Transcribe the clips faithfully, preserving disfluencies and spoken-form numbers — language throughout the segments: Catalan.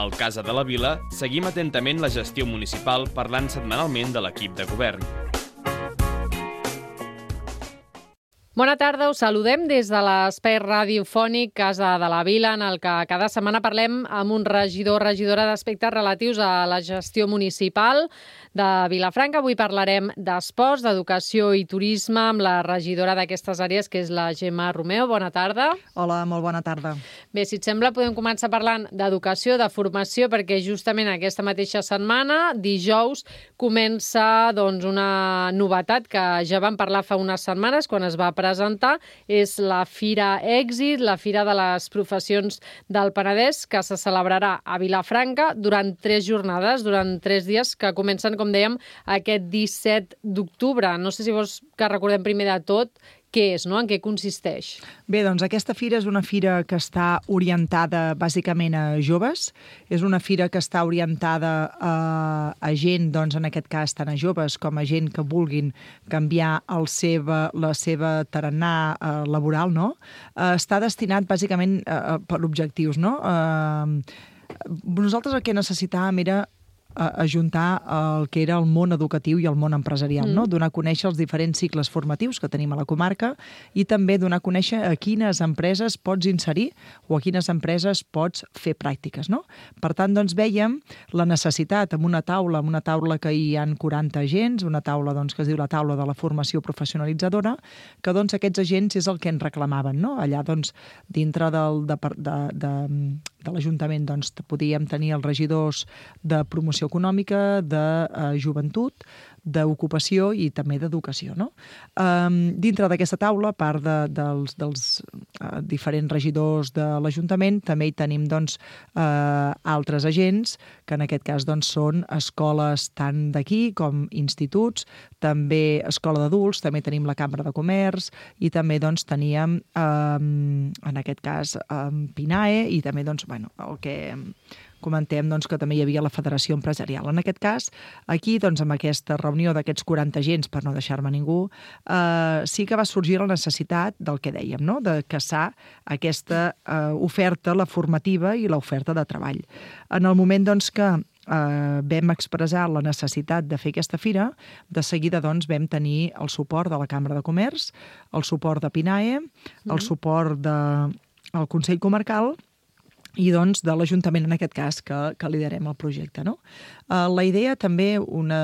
Al Casa de la Vila seguim atentament la gestió municipal parlant setmanalment de l'equip de govern. Bona tarda, us saludem des de l'espai radiofònic Casa de la Vila, en el que cada setmana parlem amb un regidor o regidora d'aspectes relatius a la gestió municipal de Vilafranca. Avui parlarem d'esports, d'educació i turisme amb la regidora d'aquestes àrees, que és la Gemma Romeo. Bona tarda. Hola, molt bona tarda. Bé, si et sembla, podem començar parlant d'educació, de formació, perquè justament aquesta mateixa setmana, dijous, comença doncs, una novetat que ja vam parlar fa unes setmanes quan es va presentar. És la Fira Èxit, la Fira de les Professions del Penedès, que se celebrarà a Vilafranca durant tres jornades, durant tres dies, que comencen, com dèiem, aquest disset d'octubre. No sé si vols que recordem primer de tot què és, no? En què consisteix? Bé, doncs aquesta fira és una fira que està orientada bàsicament a joves. És una fira que està orientada a, a gent, doncs en aquest cas tant a joves com a gent que vulguin canviar el seva, la seva tarannà eh, laboral, no? Eh, està destinat bàsicament eh, per objectius, no? Eh, nosaltres el que necessitàvem era ajuntar el que era el món educatiu i el món empresarial, mm. no? Donar a conèixer els diferents cicles formatius que tenim a la comarca i també donar a conèixer a quines empreses pots inserir o a quines empreses pots fer pràctiques, no? Per tant, doncs, veiem la necessitat amb una taula, amb una taula que hi ha quaranta agents, una taula doncs, que es diu la taula de la formació professionalitzadora, que doncs, aquests agents és el que ens reclamaven, no? Allà, doncs, dintre del, de, de, de, de l'Ajuntament, doncs, podíem tenir els regidors de promoció econòmica, de uh, joventut, d'ocupació i també d'educació, no? Um, dintre d'aquesta taula, a part de, dels, dels uh, diferents regidors de l'Ajuntament, també hi tenim doncs, uh, altres agents, que en aquest cas doncs, són escoles tant d'aquí com instituts, també escola d'adults, també tenim la Cambra de Comerç i també doncs, teníem, um, en aquest cas, um, PINAE i també doncs, bueno, el que comentem doncs, que també hi havia la Federació Empresarial. En aquest cas, aquí, doncs, amb aquesta reunió d'aquests quaranta agents, per no deixar-me ningú, eh, sí que va sorgir la necessitat del que dèiem, no? De caçar aquesta eh, oferta, la formativa i l'oferta de treball. En el moment doncs, que eh, vam expressar la necessitat de fer aquesta fira, de seguida doncs, vam tenir el suport de la Cambra de Comerç, el suport de PINAE, el mm. suport del de, Consell Comarcal i doncs de l'Ajuntament, en aquest cas, que, que liderem el projecte, no? Uh, la idea també, una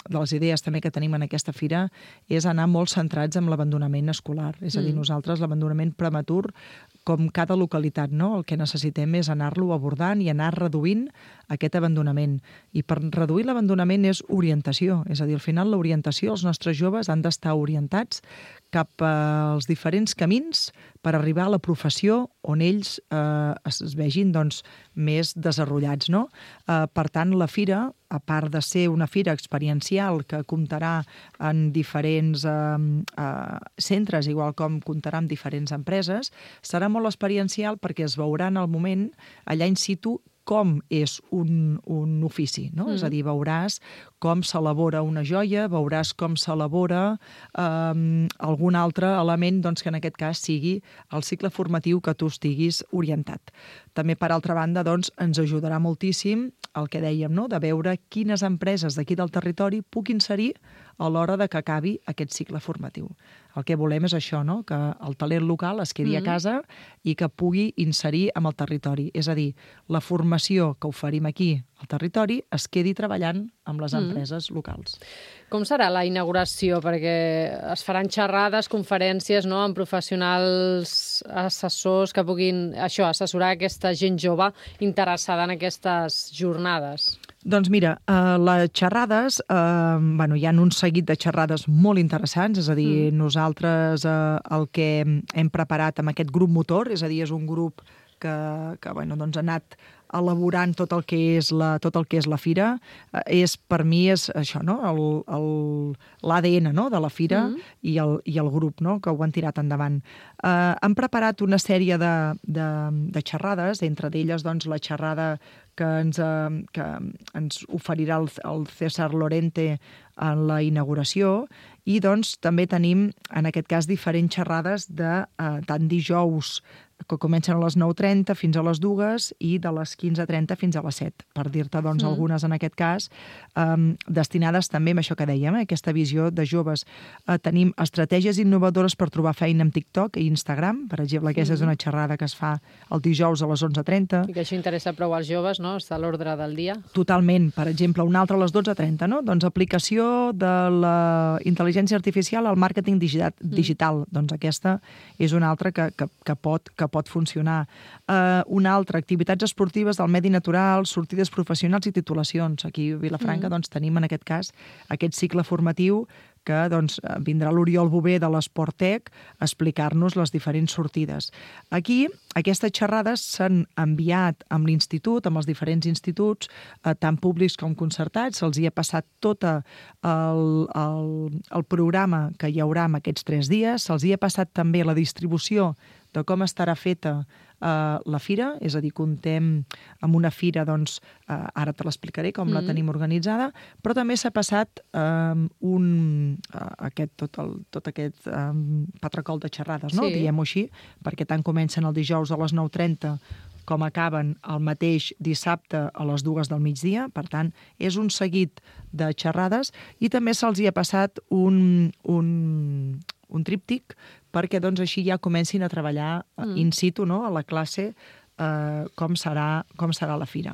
de les idees també que tenim en aquesta fira és anar molt centrats en l'abandonament escolar. És a dir, mm. nosaltres l'abandonament prematur, com cada localitat, no? El que necessitem és anar-lo abordant i anar reduint aquest abandonament. I per reduir l'abandonament és orientació. És a dir, al final l'orientació, els nostres joves han d'estar orientats cap als diferents camins per arribar a la professió on ells eh, es vegin doncs, més desenvolupats, no? Eh, per tant, la fira, a part de ser una fira experiencial que comptarà en diferents eh, eh, centres, igual com comptarà amb diferents empreses, serà molt experiencial perquè es veurà en el moment, allà in situ, com és un, un ofici, no? Mm. És a dir, veuràs com s'elabora una joia, veuràs com s'elabora eh, algun altre element doncs, que en aquest cas sigui el cicle formatiu que tu estiguis orientat. També, per altra banda, doncs, ens ajudarà moltíssim el que dèiem, no? De veure quines empreses d'aquí del territori puc inserir a l'hora de que acabi aquest cicle formatiu. El que volem és això, no? Que el talent local es quedi mm. a casa i que pugui inserir amb el territori. És a dir, la formació que oferim aquí al territori es quedi treballant amb les empreses mm. locals. Com serà la inauguració? Perquè es faran xerrades, conferències, no?, amb professionals, assessors que puguin això, assessorar aquesta gent jove interessada en aquestes jornades. Doncs mira, eh, les xerrades, eh, bueno, hi ha un seguit de xerrades molt interessants, és a dir, mm. nosaltres eh, el que hem preparat amb aquest grup motor, és a dir, és un grup que, que bueno, doncs ha anat elaborant tot el que és la, tot el que és la fira, eh, és, per mi és això, no? El, el, l'A D N, no? De la fira mm. i, el, i el grup, no? Que ho han tirat endavant. Eh, han preparat una sèrie de, de, de xerrades, entre d'elles doncs, la xerrada que ens, eh, que ens oferirà el, el César Lorente en la inauguració, i doncs també tenim, en aquest cas, diferents xerrades de eh, tant dijous que comencen a les nou trenta fins a les dues i de les quinze trenta fins a les set, per dir-te doncs, mm. algunes en aquest cas, um, destinades també a això que dèiem, eh, aquesta visió de joves. Uh, tenim estratègies innovadores per trobar feina amb TikTok i Instagram, per exemple, aquesta mm. és una xerrada que es fa el dijous a les onze trenta. I que això interessa prou als joves, no? Està a l'ordre del dia. Totalment. Per exemple, una altra a les dotze trenta, no? Doncs aplicació de la intel·ligència artificial al màrqueting digital. Mm. digital. Doncs aquesta és una altra que, que, que, pot, que pot funcionar. Uh, una altra, activitats esportives del medi natural, sortides professionals i titulacions. Aquí a Vilafranca mm. doncs, tenim en aquest cas aquest cicle formatiu que doncs, vindrà l'Oriol Bové de l'Esportec a explicar-nos les diferents sortides. Aquí, aquestes xerrades s'han enviat amb l'Institut, amb els diferents instituts, eh, tant públics com concertats, se'ls hi ha passat tot el, el, el programa que hi haurà en aquests tres dies, se'ls hi ha passat també la distribució de com estarà feta uh, la fira, és a dir, contem amb una fira, doncs, uh, ara te l'explicaré com mm. la tenim organitzada, però també s'ha passat um, un, uh, aquest, tot, el, tot aquest um, patracol de xerrades, no? Sí. Diguem-ho així, perquè tant comencen el dijous a les nou trenta com acaben el mateix dissabte a les dues del migdia. Per tant, és un seguit de xerrades i també se'ls hi ha passat un, un, un tríptic perquè doncs, així ja comencin a treballar mm. in situ, no? A la classe, eh, com, serà, com serà la fira.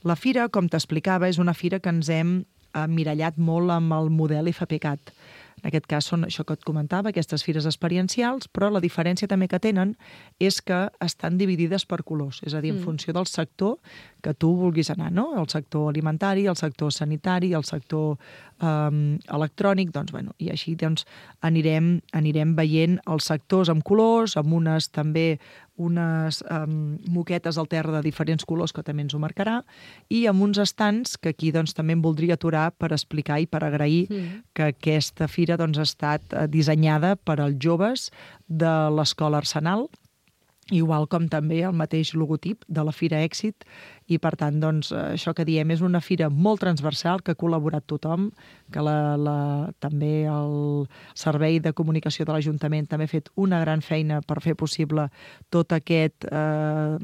La fira, com t'explicava, és una fira que ens hem emmirallat molt amb el model FPCAT. En aquest cas són això que et comentava, aquestes fires experiencials, però la diferència també que tenen és que estan dividides per colors, és a dir, en mm. funció del sector que tu vulguis anar, no? El sector alimentari, el sector sanitari, el sector um, electrònic, doncs, bueno, i així doncs, anirem, anirem veient els sectors amb colors, amb unes també unes um, moquetes al terra de diferents colors que també ens ho marcarà, i amb uns estants que aquí doncs, també em voldria aturar per explicar i per agrair mm. que aquesta fira doncs, ha estat dissenyada per als joves de l'Escola Arsenal, igual com també el mateix logotip de la Fira Èxit, i per tant, doncs, això que diem és una fira molt transversal, que ha col·laborat tothom, que la, la, també el Servei de Comunicació de l'Ajuntament també ha fet una gran feina per fer possible tot aquest... Eh,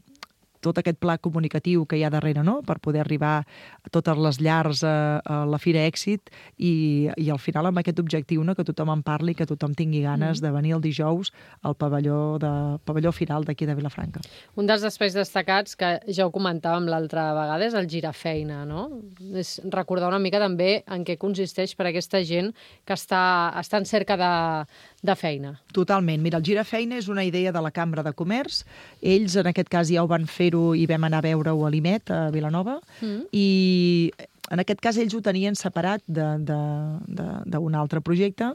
tot aquest pla comunicatiu que hi ha darrere, no? Per poder arribar a totes les llars a, a la Fira Èxit i, i al final amb aquest objectiu, no? Que tothom en parli, que tothom tingui ganes mm. de venir el dijous al pavelló, de, pavelló final d'aquí de Vilafranca. Un dels espais destacats, que ja ho comentàvem l'altra vegada, és el Girafeina, no? És recordar una mica també en què consisteix per a aquesta gent que està, està en cerca de, de feina. Totalment. Mira, el Girafeina és una idea de la Cambra de Comerç. Ells, en aquest cas, ja ho van fer i vam anar a veure-ho a l'Imet, a Vilanova, mm. i en aquest cas ells ho tenien separat d'un altre projecte,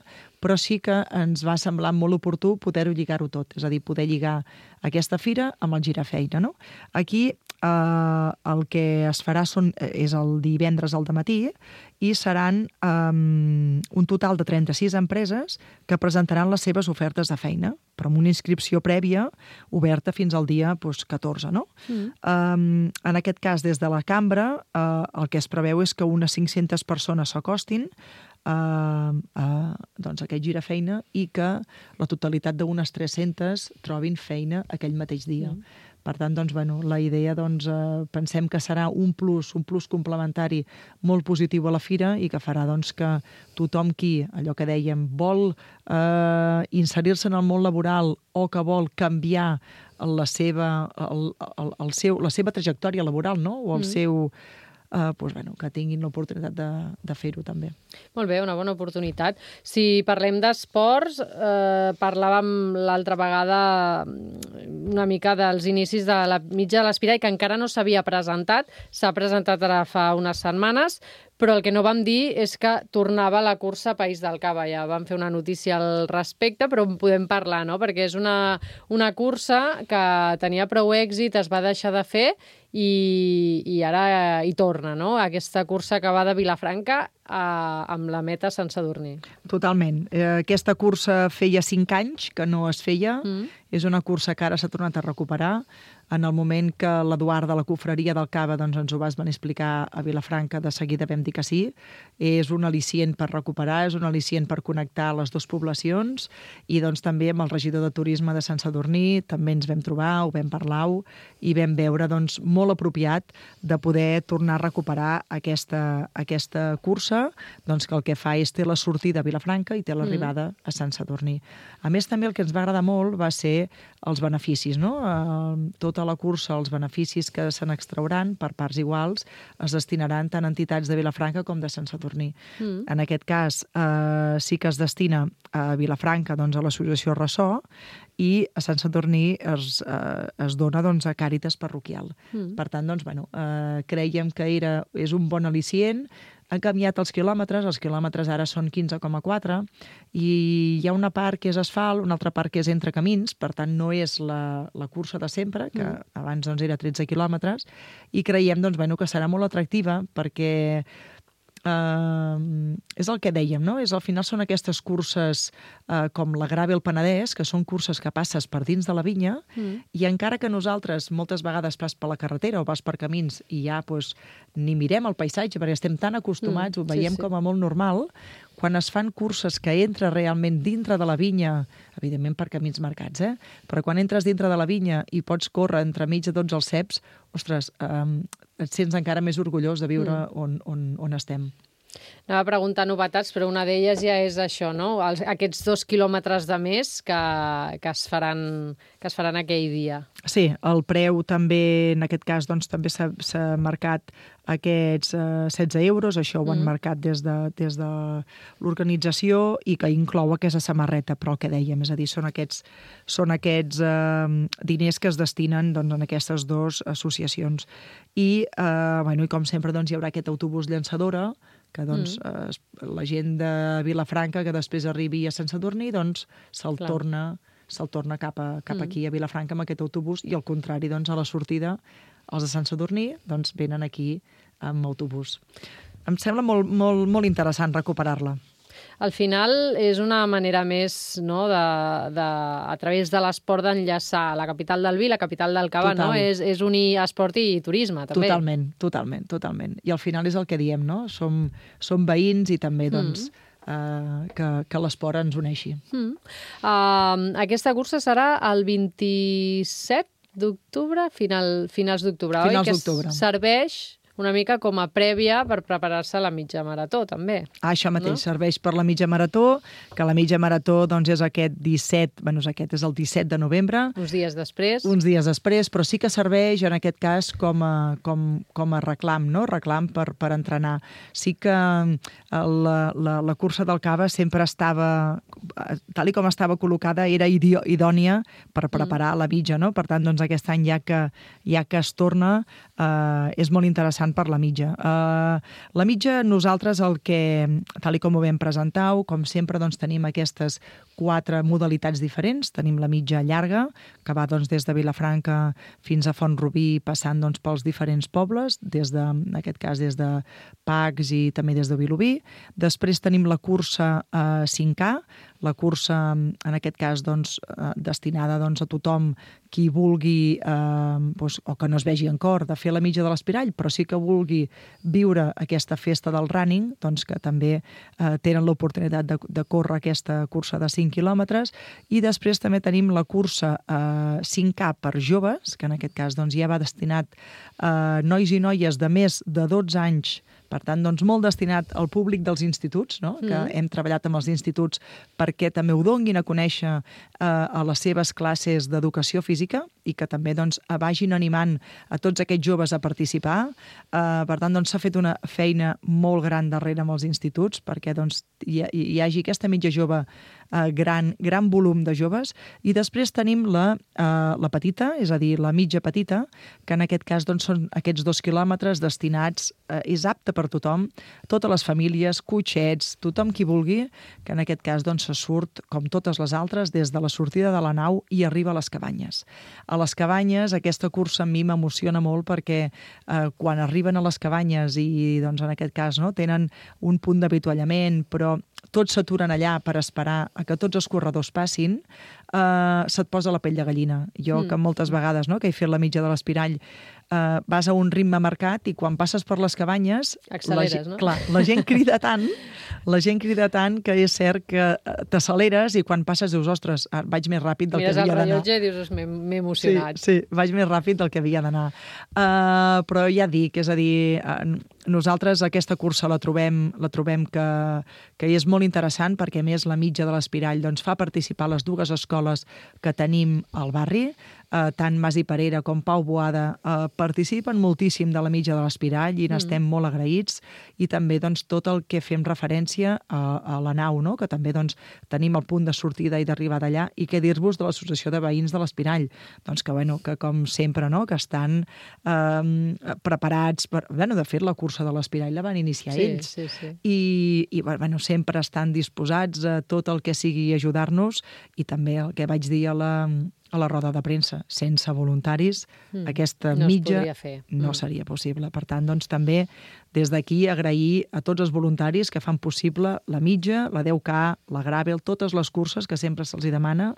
però sí que ens va semblar molt oportú poder-ho lligar-ho tot, és a dir, poder lligar aquesta fira amb el Girafeina, no? Aquí eh, el que es farà són, és el divendres al dematí i seran eh, un total de trenta-sis empreses que presentaran les seves ofertes de feina, però amb una inscripció prèvia oberta fins al dia doncs, catorze, no? Mm. Um, en aquest cas, des de la cambra, uh, el que es preveu és que unes cinc-centes persones s'acostin a, a doncs, aquest Girafeina i que la totalitat d'unes tres-centes trobin feina aquell mateix dia. Mm. Per tant, doncs, bueno, la idea, doncs, eh, pensem que serà un plus, un plus complementari molt positiu a la fira i que farà doncs, que tothom qui, allò que dèiem, vol eh, inserir-se en el món laboral o que vol canviar la seva, el, el, el seu, la seva trajectòria laboral, no? O el mm. seu... Uh, doncs, bueno, que tinguin l'oportunitat de, de fer-ho també. Molt bé, una bona oportunitat. Si parlem d'esports, eh, parlàvem l'altra vegada una mica dels inicis de la mitja de l'Espira i que encara no s'havia presentat, s'ha presentat ara fa unes setmanes, però el que no vam dir és que tornava la cursa País del Cava. Ja vam fer una notícia al respecte, però en podem parlar, no? Perquè és una, una cursa que tenia prou èxit, es va deixar de fer i, i ara hi torna, no? Aquesta cursa que va de Vilafranca a, amb la meta Sant Sadurní. Totalment. Eh, aquesta cursa feia cinc anys que no es feia. Mm. És una cursa que ara s'ha tornat a recuperar. En el moment que l'Eduard de la Cofreria del Cava doncs, ens ho vas venir a explicar a Vilafranca, de seguida vam dir que sí. És un al·licient per recuperar, és un al·licient per connectar les dues poblacions i doncs, també amb el regidor de Turisme de Sant Sadurní també ens vam trobar, ho vam parlar i vam veure doncs, molt apropiat de poder tornar a recuperar aquesta, aquesta cursa doncs, que el que fa és té la sortida a Vilafranca i té l'arribada mm. a Sant Sadurní. A més, també el que ens va agradar molt va ser els beneficis, no? Eh, tota la cursa, els beneficis que se n'extrauran per parts iguals es destinaran tant a entitats de Vilafranca com de Sant Sadurní. Mm. En aquest cas, eh, sí que es destina a Vilafranca doncs, a l'associació Ressò i a Sant Sadurní es, eh, es dona doncs, a Càritas Parroquial. Mm. Per tant, doncs, bueno, eh, creiem que era, és un bon al·licient. Han canviat els quilòmetres, els quilòmetres ara són quinze coma quatre i hi ha una part que és asfalt, una altra part que és entre camins, per tant no és la, la cursa de sempre, que mm. abans doncs, era tretze quilòmetres, i creiem doncs, bueno, que serà molt atractiva perquè Uh, és el que dèiem, no? És, al final són aquestes curses uh, com la Gravel Penedès, que són curses que passes per dins de la vinya mm. i encara que nosaltres moltes vegades vas per la carretera o vas per camins i ja pues, ni mirem el paisatge perquè estem tan acostumats, mm. ho veiem sí, sí. com a molt normal, quan es fan curses que entres realment dintre de la vinya, evidentment per camins marcats, eh? Però quan entres dintre de la vinya i pots córrer entremig de tots els ceps, ostres, um, et sents encara més orgullós de viure mm. on, on, on estem. Anava a preguntar novetats, però una d'elles ja és això, no? Els, aquests dos quilòmetres de més que, que, es faran, que es faran aquell dia. Sí, el preu també, en aquest cas, doncs, també s'ha marcat aquests eh, setze euros, això ho han mm. marcat des de, des de l'organització i que inclou aquesta samarreta, però el que dèiem, és a dir, són aquests, són aquests eh, diners que es destinen doncs, en aquestes dues associacions. I, eh, bueno, i com sempre, doncs, hi haurà aquest autobús llançadora, que doncs, mm. eh, la gent de Vilafranca que després arribi a Sant Sadurní doncs, se'l torna, se'l torna cap, a, cap mm. aquí a Vilafranca amb aquest autobús i al contrari, doncs, a la sortida els de Sant Sadurní doncs, venen aquí amb autobús. Em sembla molt, molt, molt interessant recuperar-la. Al final és una manera més, no, de, de, a través de l'esport d'enllaçar la capital del vi i la capital del Cava, no? És, és unir esport i turisme, també. Totalment, totalment, totalment. I al final és el que diem, no? Som, som veïns i també, doncs, mm. Uh, que, que l'esport ens uneixi. Mm. Uh, aquesta cursa serà el vint-i-set d'octubre, final, finals d'octubre, finals oi? d'octubre. Que serveix una mica com a prèvia per preparar-se a la mitja marató, també. Ah, això mateix, no? Serveix per la mitja marató, que la mitja marató doncs, és aquest disset, bueno, és aquest és el disset de novembre. Uns dies després. Uns dies després, però sí que serveix, en aquest cas, com a, com, com a reclam, no? Reclam per, per entrenar. Sí que la, la, la cursa del Cava sempre estava, tal i com estava col·locada, era idònia per preparar mm. la mitja, no? Per tant, doncs, aquest any, ja que, ja que es torna, eh, és molt interessant per la mitja. Uh, la mitja, nosaltres, el que, tal i com ho vam presentar, com sempre, doncs, tenim aquestes quatre modalitats diferents. Tenim la mitja llarga, que va doncs, des de Vilafranca fins a Font-rubí, passant doncs, pels diferents pobles, des de, en aquest cas des de Pacs i també des de Vilobí. Després tenim la cursa eh, cinc K, la cursa, en aquest cas, doncs, eh, destinada doncs, a tothom qui vulgui, eh, doncs, o que no es vegi en cor, de fer la mitja de l'Espirall, però sí que vulgui viure aquesta festa del running, doncs que també eh, tenen l'oportunitat de, de córrer aquesta cursa de cinc quilòmetres. I després també tenim la cursa eh, cinc K per joves, que en aquest cas doncs, ja va destinat a eh, nois i noies de més de dotze anys, per tant, doncs, molt destinat al públic dels instituts, no? Que mm. hem treballat amb els instituts perquè també ho donguin a conèixer eh, a les seves classes d'educació física i que també doncs, vagin animant a tots aquests joves a participar. Eh, per tant, doncs, s'ha fet una feina molt gran darrere amb els instituts perquè doncs, hi, hi hagi aquesta mitja jove eh, gran, gran volum de joves. I després tenim la, eh, la petita, és a dir, la mitja petita, que en aquest cas doncs, són aquests dos quilòmetres destinats, eh, és apte per tothom, totes les famílies, cotxets, tothom qui vulgui, que en aquest cas doncs, se surt, com totes les altres, des de la sortida de la nau i arriba a les cabanyes. A les cabanyes, aquesta cursa a mi m'emociona molt perquè eh, quan arriben a les cabanyes i doncs, en aquest cas no, tenen un punt d'avituallament, però tots s'aturen allà per esperar a que tots els corredors passin, eh, se't posa la pell de gallina. Jo, mm. que moltes vegades, no, que he fet la mitja de l'Espirall, eh, vas a un ritme marcat i quan passes per les cabanyes... Acceleres, la, no? Clar, la gent crida tant, la gent crida tant que és cert que t'acceleres i quan passes dius, ostres, vaig més ràpid del Mires que havia d'anar. Mires el rellotge i dius, m'he emocionat. Sí, sí, vaig més ràpid del que havia d'anar. Uh, però ja dic, és a dir, uh, nosaltres aquesta cursa la trobem, la trobem que, que és molt interessant perquè, a més, la mitja de l'Espirall doncs, fa participar les dues escoles que tenim al barri, eh, tant Mas i Parera com Pau Boada eh, participen moltíssim de la mitja de l'Espirall i n'estem mm. molt agraïts, i també doncs, tot el que fem referència a, a la nau, no? Que també doncs, tenim el punt de sortida i d'arribada allà, i què dir-vos de l'Associació de Veïns de l'Espirall, doncs que, bueno, que com sempre, no? Que estan eh, preparats per... Bueno, de fet, la cursa de l'Espirall la van iniciar sí, ells. Sí, sí. I, i bueno, sempre estan disposats a tot el que sigui ajudar-nos, i també el que vaig dir a la, a la roda de premsa, sense voluntaris, mm. aquesta no mitja no no mm. seria possible. Per tant, doncs, també des d'aquí agrair a tots els voluntaris que fan possible la mitja, la deu K, la Gravel, totes les curses que sempre se'ls demana,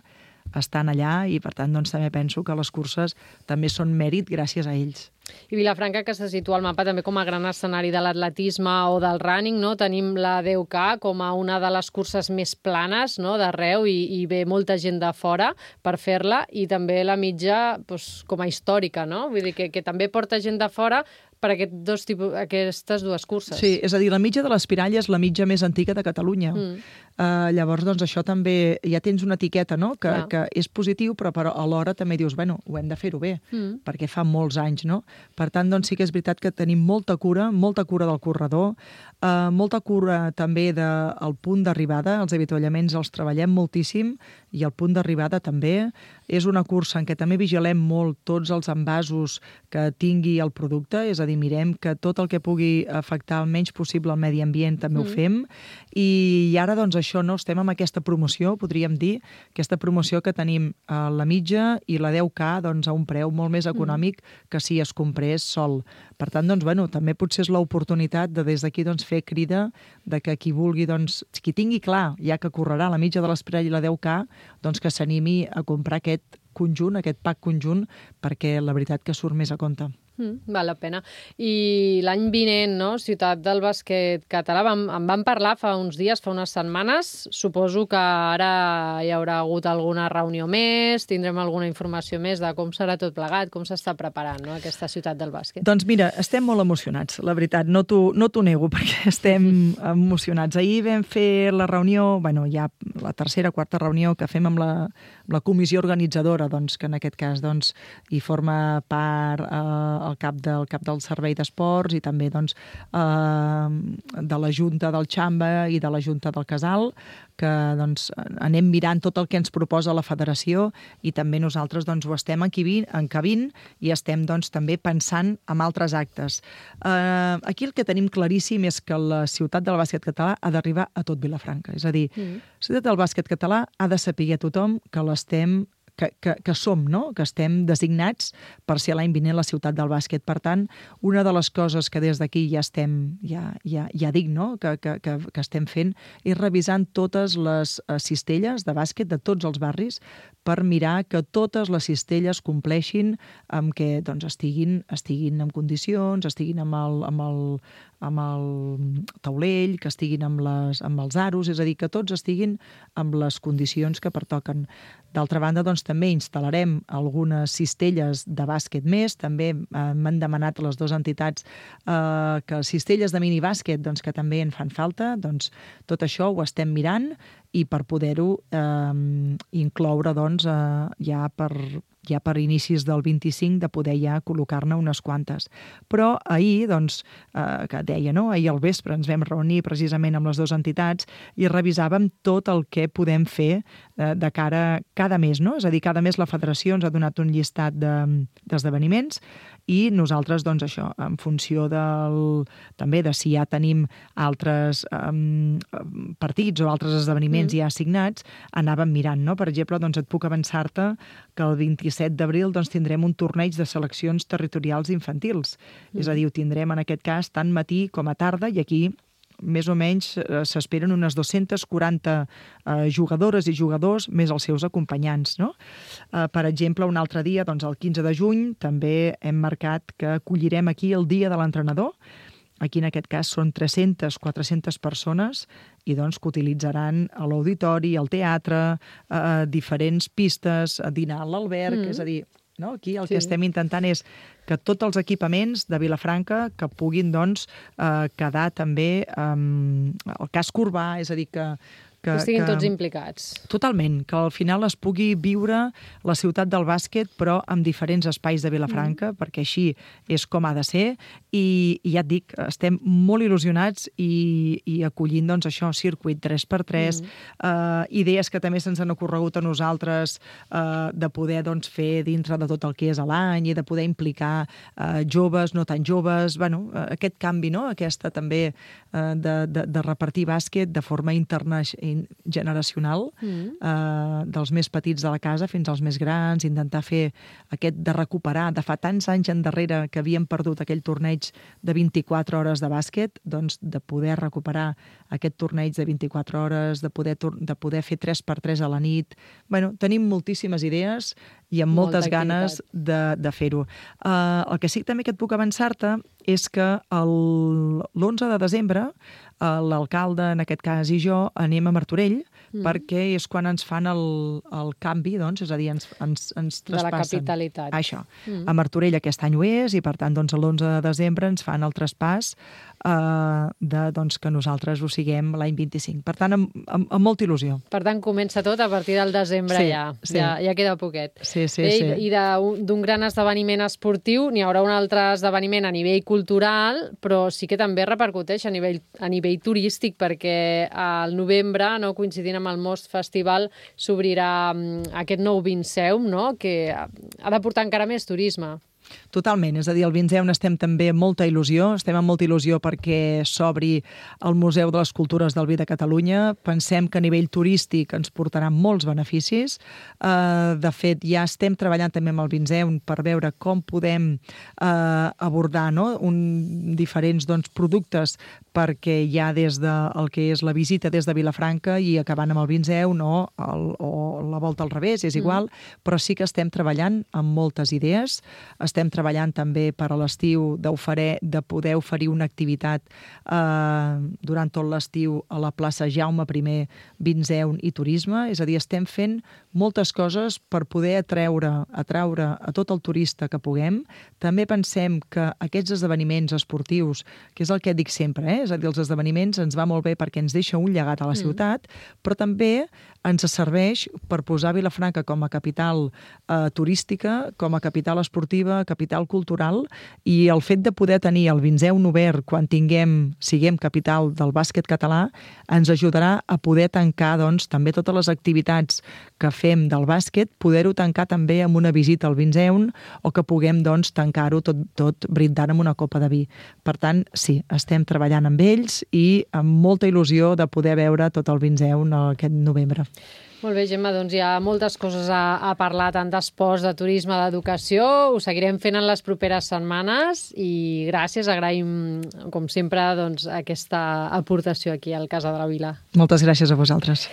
estan allà, i per tant doncs, també penso que les curses també són mèrit gràcies a ells. I Vilafranca, que se situa al mapa també com a gran escenari de l'atletisme o del running, no? Tenim la deu K com a una de les curses més planes, no? D'arreu, i, i ve molta gent de fora per fer-la, i també la mitja doncs, com a històrica, no? Vull dir que, que també porta gent de fora per aquest dos tipus, aquestes dues curses. Sí, és a dir, la mitja de l'Espirall és la mitja més antiga de Catalunya. Mm. Uh, llavors, doncs, això també... Ja tens una etiqueta, no?, que, que és positiu, però, però alhora també dius, bueno, ho hem de fer-ho bé, mm. perquè fa molts anys, no? Per tant, doncs, sí que és veritat que tenim molta cura, molta cura del corredor, uh, molta cura també del punt d'arribada, els avituallaments els treballem moltíssim, i el punt d'arribada també. És una cursa en què també vigilem molt tots els envasos que tingui el producte, és a dir, mirem que tot el que pugui afectar el menys possible al medi ambient també mm. ho fem, i, i ara doncs això, no, estem amb aquesta promoció, podríem dir, aquesta promoció que tenim a la mitja i la deu K doncs, a un preu molt més econòmic mm. que si es comprés sol. Per tant, doncs, bueno, també potser és l'oportunitat de des d'aquí doncs, fer crida de que qui vulgui, doncs, qui tingui clar, ja que correrà la mitja de l'Espirall i la deu K, doncs que s'animi a comprar aquest conjunt, aquest pack conjunt, perquè la veritat que surt més a compte. Mm, val la pena. I l'any vinent, no?, Ciutat del Bàsquet Català, vam, en vam parlar fa uns dies, fa unes setmanes. Suposo que ara hi haurà hagut alguna reunió més, tindrem alguna informació més de com serà tot plegat, com s'està preparant, no?, aquesta Ciutat del Bàsquet. Doncs mira, estem molt emocionats, la veritat, no t'ho no t'ho nego, perquè estem emocionats. Ahir vam fer la reunió, bueno, ja la tercera, quarta reunió que fem amb la, amb la comissió organitzadora, doncs, que en aquest cas doncs, hi forma part eh, el cap del cap del Servei d'Esports i també doncs, eh, de la Junta del Xamba i de la Junta del Casal, que doncs, anem mirant tot el que ens proposa la federació, i també nosaltres doncs, ho estem encabint i estem doncs, també pensant en altres actes. Eh, aquí el que tenim claríssim és que la Ciutat del Bàsquet Català ha d'arribar a tot Vilafranca. És a dir, mm. la Ciutat del Bàsquet Català ha de saber tothom que l'estem Que, que, que som, no?, que estem designats per ser l'any vinent la ciutat del bàsquet. Per tant, una de les coses que des d'aquí ja estem, ja, ja, ja dic, no?, que, que, que, que estem fent, és revisant totes les cistelles de bàsquet de tots els barris per mirar que totes les cistelles compleixin amb que doncs, estiguin, estiguin en condicions, estiguin amb el, amb el, amb el taulell, que estiguin amb, les, amb els aros, és a dir, que tots estiguin amb les condicions que pertoquen. D'altra banda, doncs, també instal·larem algunes cistelles de bàsquet més. També eh, m'han demanat les dues entitats eh, que cistelles de minibàsquet doncs, que també en fan falta. Doncs, tot això ho estem mirant, i per poder-ho eh, incloure doncs, eh, ja per, ja per inicis del vint-i-cinc de poder ja col·locar-ne unes quantes. Però ahir, doncs, eh, que deia, no? Ahir al vespre ens vam reunir precisament amb les dues entitats i revisàvem tot el que podem fer eh, de cara cada mes, no? És a dir, cada mes la federació ens ha donat un llistat d'esdeveniments de, i nosaltres, doncs, això, en funció del, també de si ja tenim altres um, partits o altres esdeveniments mm. ja assignats, anàvem mirant, no? Per exemple, doncs et puc avançar-te que el vint-i-set d'abril doncs, tindrem un torneig de seleccions territorials infantils. Mm. És a dir, ho tindrem en aquest cas tant matí com a tarda i aquí més o menys eh, s'esperen unes dues-centes quaranta eh, jugadores i jugadors més els seus acompanyants, no? Eh, per exemple, un altre dia, doncs el quinze de juny, també hem marcat que acollirem aquí el dia de l'entrenador. Aquí, en aquest cas, són tres-centes, quatre-centes persones i doncs que utilitzaran l'auditori, el teatre, eh, diferents pistes, dinar a l'alberg, mm. és a dir, no? Aquí el sí. que estem intentant és que tots els equipaments de Vilafranca que puguin doncs, eh, quedar també eh, el casc urbà, és a dir, que, que, que estiguin que, tots implicats. Totalment, que al final es pugui viure la ciutat del bàsquet, però amb diferents espais de Vilafranca, mm. perquè així és com ha de ser, i, i ja et dic, estem molt il·lusionats i, i acollint doncs, això, circuit tres per tres, mm. eh, idees que també se'ns han ocorregut a nosaltres eh, de poder doncs, fer dintre de tot el que és l'any i de poder implicar eh, joves, no tan joves, bueno, aquest canvi, no? Aquesta també eh, de, de, de repartir bàsquet de forma internacional generacional, mm. eh, dels més petits de la casa fins als més grans, intentar fer aquest de recuperar, de fa tants anys endarrere que havíem perdut aquell torneig de vint-i-quatre hores de bàsquet, doncs de poder recuperar aquest torneig de vint-i-quatre hores, de poder, de poder fer tres per tres a la nit. Bueno, tenim moltíssimes idees i amb moltes Molta ganes de, de fer-ho. Uh, el que sí també que et puc avançar-te és que l'onze de desembre l'alcalde, en aquest cas, i jo anem a Martorell mm. perquè és quan ens fan el, el canvi, doncs, és a dir, ens, ens, ens traspassen. De la capitalitat. Això. Mm. A Martorell aquest any ho és i, per tant, doncs, l'onze de desembre ens fan el traspàs eh, de, doncs, que nosaltres ho siguem l'any vint-i-cinc. Per tant, amb, amb, amb molta il·lusió. Per tant, comença tot a partir del desembre sí, ja. Sí. ja. Ja queda poquet. Sí, sí, I, sí. I d'un gran esdeveniment esportiu n'hi haurà un altre esdeveniment a nivell cultural, però sí que també repercuteix a nivell, a nivell turístic, perquè al novembre, no, coincidint amb el Most Festival, s'obrirà aquest nou Vinceum, no, que ha de portar encara més turisme. Totalment, és a dir, el Vinceum estem també amb molta il·lusió, estem amb molta il·lusió perquè s'obri el Museu de les Cultures del Vi de Catalunya. Pensem que a nivell turístic ens portarà molts beneficis. Uh, de fet, ja estem treballant també amb el Vinceum per veure com podem uh, abordar, no? Un, diferents doncs, productes perquè ja des del que és la visita des de Vilafranca i acabant amb el Vinceum, no? el, o la volta al revés, és igual, mm. però sí que estem treballant amb moltes idees. Estem treballant també per a l'estiu de poder oferir una activitat eh, durant tot l'estiu a la plaça Jaume I, Vinceum i Turisme. És a dir, estem fent moltes coses per poder atreure, atraure a tot el turista que puguem. També pensem que aquests esdeveniments esportius, que és el que dic sempre, eh? És a dir, els esdeveniments ens va molt bé perquè ens deixa un llegat a la ciutat, mm. però també ens serveix per posar Vilafranca com a capital eh, turística, com a capital esportiva, capital cultural, i el fet de poder tenir el Vinceum obert quan tinguem, siguem capital del bàsquet català, ens ajudarà a poder tancar doncs, també totes les activitats que fem del bàsquet, poder-ho tancar també amb una visita al Vinceum o que puguem doncs, tancar-ho tot, tot brindant amb una copa de vi. Per tant, sí, estem treballant amb ells i amb molta il·lusió de poder veure tot el Vinceum aquest novembre. Molt bé, Gemma, doncs hi ha moltes coses a, a parlar, tant d'esports, de turisme, d'educació. Ho seguirem fent en les properes setmanes i gràcies, agraïm, com sempre, doncs, aquesta aportació aquí al Casa de la Vila. Moltes gràcies a vosaltres.